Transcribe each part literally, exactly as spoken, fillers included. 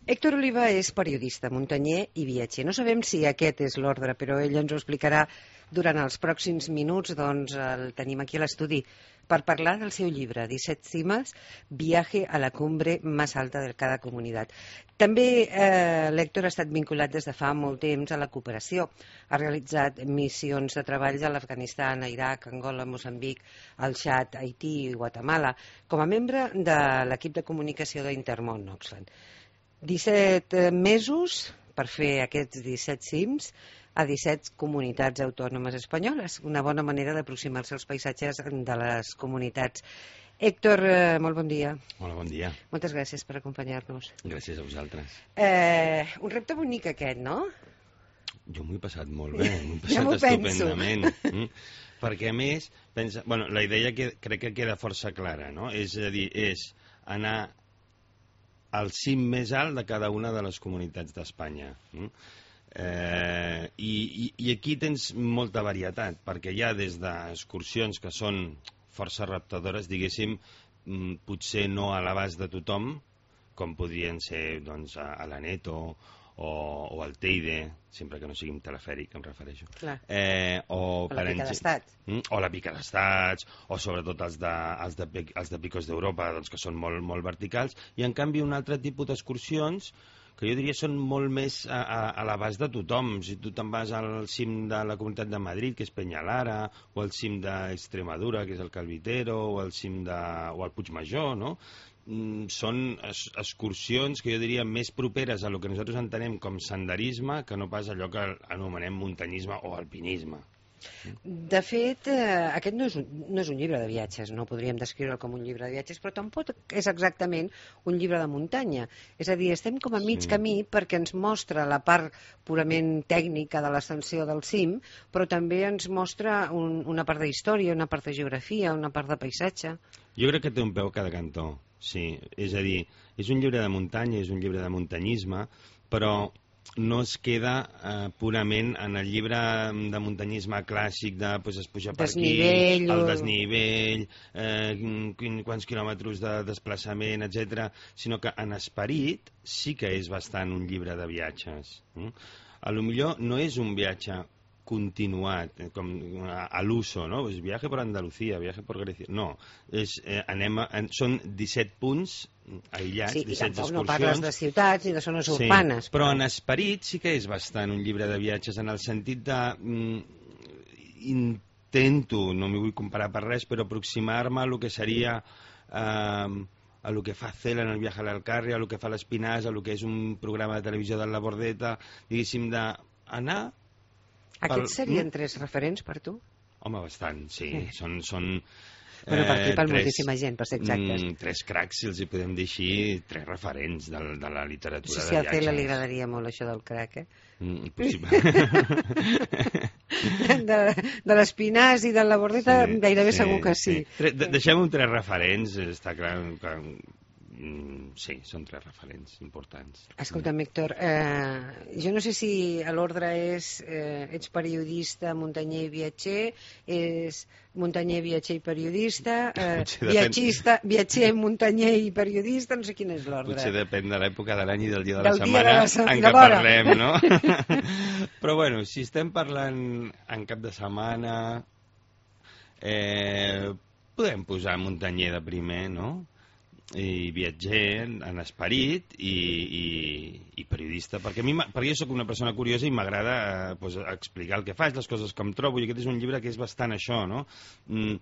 Héctor Oliva és periodista, muntanyer i viatger. No sabem si aquest és l'ordre, però ell ens ho explicarà durant els pròxims minuts. Doncs el tenim aquí a l'estudi per parlar del seu llibre, disset cimes, viaje a la cumbre más alta de cada comunitat. També eh, l'Héctor ha estat vinculat des de fa molt temps a la cooperació. Ha realitzat missions de treball a l'Afganistan, a Iraq, Angola, Moçambic, al Txad, Haití i Guatemala, com a membre de l'equip de comunicació d'Intermón Oxfam. disset mesos per fer aquests disset cims a disset comunitats autònomes espanyoles. Una bona manera d'aproximar-se als paisatges de les comunitats. Héctor, eh, molt bon dia. Hola, bon dia. Moltes gràcies per acompanyar-nos. Gràcies a vosaltres. Eh, un repte bonic aquest, no? Jo m'ho he passat molt bé, m'ho he Ja passat m'ho estupendament. Mm? Perquè a més, pensa, bueno, la idea que, crec que queda força clara, no? És a dir, és anar al cim més alt de cada una de les comunitats d'Espanya. Mm? Eh, i, i, I aquí tens molta varietat, perquè hi ha des d'excursions que són força reptadores, diguéssim, mm, potser no a l'abast de tothom, com podrien ser doncs, a, a l'Aneto o, o al Teide, sempre que no sigui un telefèric, em refereixo. Eh, o, o la Pica d'Estats. Mm, o la Pica d'Estats, o sobretot els de, els de, els de Picos d'Europa, doncs, que són molt, molt verticals, i en canvi un altre tipus d'excursions que jo diria són molt més a, a, a l'abast de tothom. Si tu te'n vas al cim de la Comunitat de Madrid, que és Peñalara, o al cim d'Extremadura, que és el Calvitero, o al cim de... o al Puigmajor, no? Mm, són es, excursions que jo diria més properes a lo que nosaltres entenem com senderisme que no pas allò que anomenem muntanyisme o alpinisme. De fet, eh, aquest no és, un, no és un llibre de viatges, no podríem descriure'l com un llibre de viatges, però tampoc és exactament un llibre de muntanya. És a dir, estem com a mig Sí. camí perquè ens mostra la part purament tècnica de l'ascensió del cim, però també ens mostra un, una part d'història, una part de geografia, una part de paisatge. Jo crec que té un peu a cada cantó, sí. És a dir, és un llibre de muntanya, és un llibre de muntanyisme, però no es queda eh, purament en el llibre de muntanyisme clàssic de pues, es puja per Desnivell, aquí, el o- desnivell, eh, quin, quants quilòmetres de desplaçament, etcètera, sinó que en esperit sí que és bastant un llibre de viatges. Mm? A lo millor no és un viatge continuat, eh, com a, a l'uso, no? Pues viaje por Andalucía, viaje por Grecia. No, és, eh, anem a, en, són disset punts aïllats, Sí, i disset tampoc no excursions. parles de ciutats ni de zones urbanes. Sí, però en esperit sí que és bastant un llibre de viatges, en el sentit de... Mm, intento, no m'hi vull comparar per res, però aproximar-me a lo que seria... Eh, a lo que fa Cela en el viaje a l'Alcarria, a lo que fa l'Espinàs, a lo que és un programa de televisió de la Bordeta, diguéssim, d'anar... Aquests serien tres referents per tu? Home, bastant, sí. Sí. Són, són Bueno, per aquí, per tres- moltíssima gent, per ser exactes. Mm, tres cracs, si els hi podem dir així, tres referents de, de la No literatura sé de si a viatges. Cela li agradaria molt això del crack, eh? Mm, possible. De, de l'Espinàs i de la Bordeta Sí, gairebé sí, segur que sí. Tre- de- Deixem-ho tres referents, està clar que... mm, sí, són tres referents importants. Escolta'm, Héctor, eh, jo no sé si l'ordre és eh, ets periodista, muntanyer i viatger, és muntanyer, viatger i periodista, eh, Potser depèn. viatgista, viatger, muntanyer i periodista, no sé quin és l'ordre. Potser depèn de l'època de l'any i del dia de Del la dia de setmana la se- en de què l'hora. parlem, no? Però bueno, si estem parlant en cap de setmana, eh, podem posar muntanyer de primer, no? I viatger en esperit i, i, i periodista, perquè, a mi, m'ha- perquè jo sóc una persona curiosa i m'agrada eh, pues, explicar el que faig, les coses que em trobo, i aquest és un llibre que és bastant això, no? Mm,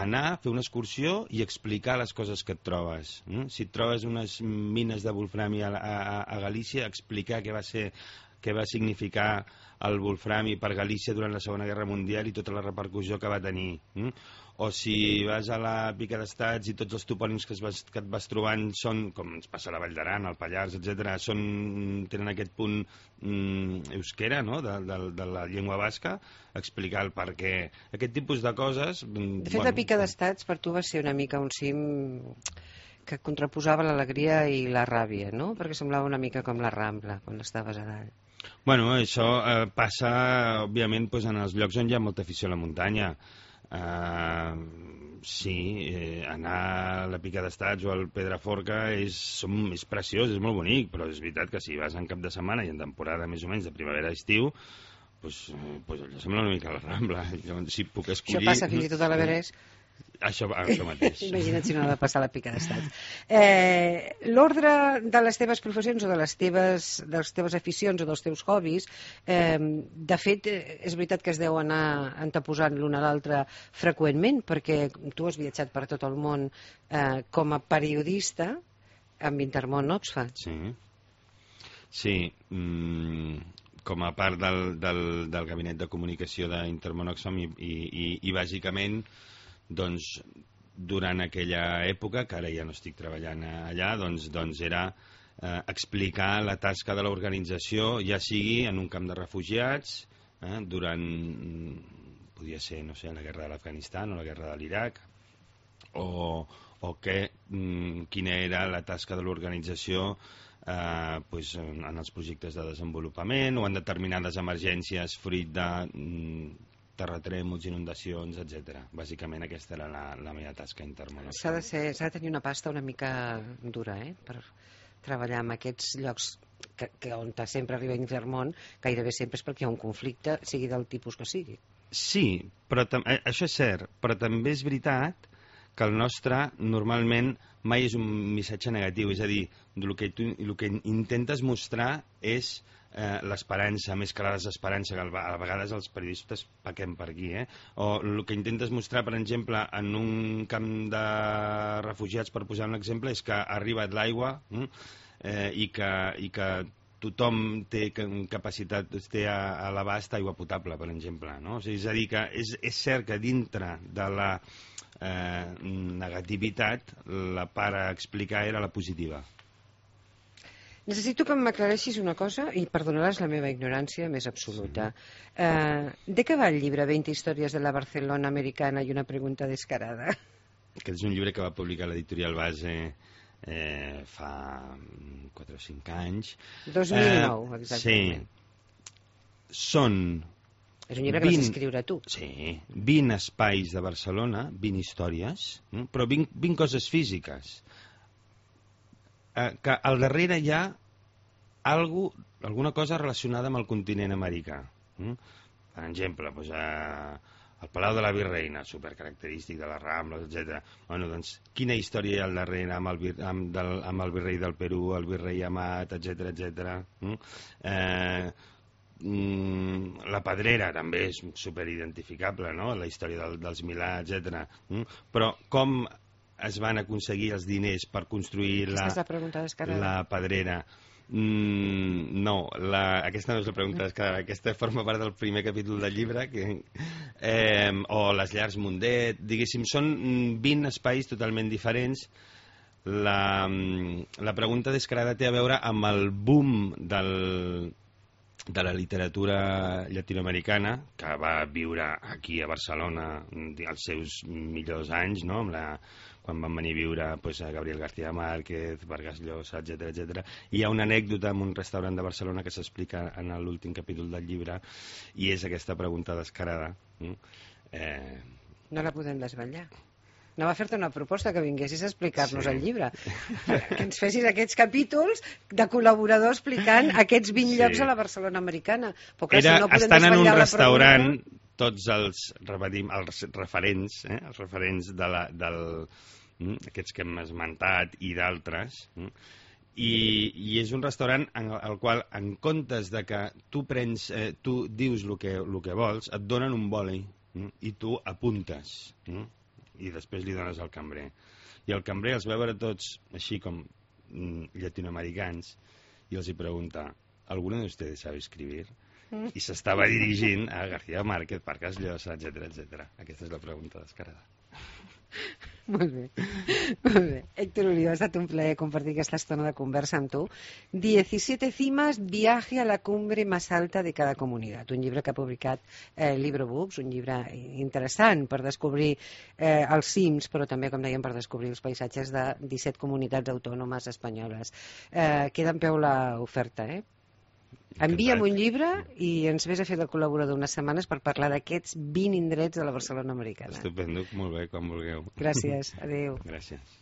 anar, fer una excursió i explicar les coses que et trobes. Mm? Si et trobes unes mines de wolframi a, a, a Galícia, explicar què va ser què va significar el wolframi per Galícia durant la Segona Guerra Mundial i tota la repercussió que va tenir. Mm? O si vas a la Pica d'Estats i tots els topònims que, es vas, que et vas trobant són, com ens passa a la Vall d'Aran, al Pallars, etcètera, són, tenen aquest punt mm, euskera, no?, de, de, de la llengua basca, explicar el per què. Aquest tipus de coses... mm, De fet, la Pica d'Estats per tu va ser una mica un cim que contraposava l'alegria i la ràbia, no? Perquè semblava una mica com la Rambla, quan estaves a dalt. Bueno, això eh, passa, òbviament, pues, en els llocs on hi ha molta afició a la muntanya. Uh, sí, eh, anar a la Pica d'Estats o al Pedraforca és, som, és preciós, és molt bonic, però és veritat que si vas en cap de setmana i en temporada més o menys de primavera-estiu, pues, pues allò sembla una mica la Rambla. Llavors, si puc escollir... Això passa fins i tot a l'Everest. Això, això mateix. Imagina't si no ha de passar la Pica d'Estats. Eh, L'ordre de les teves professions o de les teves, de les teves aficions o dels teus hobbies, eh, de fet, és veritat que es deu anar anteposant l'un a l'altre freqüentment, perquè tu has viatjat per tot el món eh, com a periodista amb Intermón Oxfam. Sí, sí. Mm, com a part del, del, del gabinet de comunicació d'Intermón Oxfam i, i, i, i bàsicament doncs durant aquella època, que ara ja no estic treballant allà, doncs, doncs era eh, explicar la tasca de l'organització, ja sigui en un camp de refugiats, eh, durant, podia ser, no sé, la guerra de l'Afganistan o la guerra de l'Iraq, o, o que, mm, quina era la tasca de l'organització eh, pues, en, en els projectes de desenvolupament o en determinades emergències fruit de... Mm, terratrèmols, inundacions, etcètera. Bàsicament aquesta era la, la meva tasca interna. S'ha de, ser, s'ha de tenir una pasta una mica dura, eh?, per treballar en aquests llocs que, que on sempre arriba Intermón, gairebé sempre és perquè hi ha un conflicte, sigui del tipus que sigui. Sí, però això és cert, però també és veritat que el nostre normalment mai és un missatge negatiu, és a dir, el que, tu, el que intentes mostrar és Eh, l'esperança, més que la desesperança, que a vegades els periodistes pequem per aquí, eh? O el que intentes mostrar, per exemple, en un camp de refugiats, per posar un exemple, és que ha arribat l'aigua eh, i, que, i que tothom té capacitat, té a, a l'abast aigua potable, per exemple, no? O sigui, és a dir, que és, és cert que dintre de la eh, negativitat la part a explicar era la positiva. Necessito que m'aclareixis una cosa, i perdonaràs la meva ignorància més absoluta. Sí. Eh, de què va el llibre veinte històries de la Barcelona americana i una pregunta descarada? Aquest és un llibre que va publicar l'editorial Base eh, fa quatre o cinc anys. dos mil nou, eh, exactament. Sí. Són... És un llibre que vas escriure tu. Sí, vint espais de Barcelona, vint històries, però vint, vint coses físiques. Que al darrere hi ha algo, alguna cosa relacionada amb el continent americà. Per exemple, doncs, eh, el Palau de la Virreina, supercaracterístic de les Rambles, etcètera. Bueno, doncs, quina història hi ha al darrere amb el, amb del, amb el virrei del Perú, el virrei Amat, etcètera, etcètera. Eh, la Pedrera també és superidentificable, no? La història del, dels Milà, etcètera. Però com es van aconseguir els diners per construir la, la, la Pedrera? Mm, no, la, aquesta no és la pregunta descarada, aquesta forma part del primer capítol del llibre, que, eh, o les llars Mundet, diguéssim, són vint espais totalment diferents. La, la pregunta descarada té a veure amb el boom del, de la literatura llatinoamericana, que va viure aquí a Barcelona els seus millors anys, no?, amb la quan van venir a viure pues, a Gabriel García Márquez, Vargas Llosa, etcètera, etcètera. I hi ha una anècdota en un restaurant de Barcelona que s'explica en l'últim capítol del llibre, i és aquesta pregunta descarada. Eh... No la podem desvetllar. No va fer-te una proposta que vinguessis a explicar-nos sí. el llibre. Que ens fessis aquests capítols de col·laborador explicant aquests vint sí. llocs a la Barcelona americana. Però, clar, Era, si no podem estan en un restaurant, pregunta... tots els, repetim, els referents, eh, els referents de la, del, aquests que hem esmentat i d'altres, i, i és un restaurant en el qual, en comptes de que tu prens, eh, tu dius el que, el que vols, et donen un boli i tu apuntes i després li dones al cambrer. I el cambrer els va veure tots així com llatinoamericans i els hi pregunta: ¿alguno de ustedes sabe escribir? Mm. I s'estava dirigint a García Márquez, Vargas Llosa, etcètera, etcètera. Aquesta és la pregunta descarada. Molt bé, molt bé. Héctor Oliva, ha estat un plaer compartir aquesta estona de conversa amb tu. diecisiete cimas, viaje a la cumbre más alta de cada comunitat. Un llibre que ha publicat eh, Librobooks, un llibre interessant per descobrir eh, els cims, però també, com dèiem, per descobrir els paisatges de disset comunitats autònomes espanyoles. Eh, queda en peu l'oferta, eh? Envia'm un llibre i ens vés a fer de col·laborador unes setmanes per parlar d'aquests vint indrets de la Barcelona americana. Estupendo, molt bé, quan vulgueu. Gràcies, adéu. Gràcies.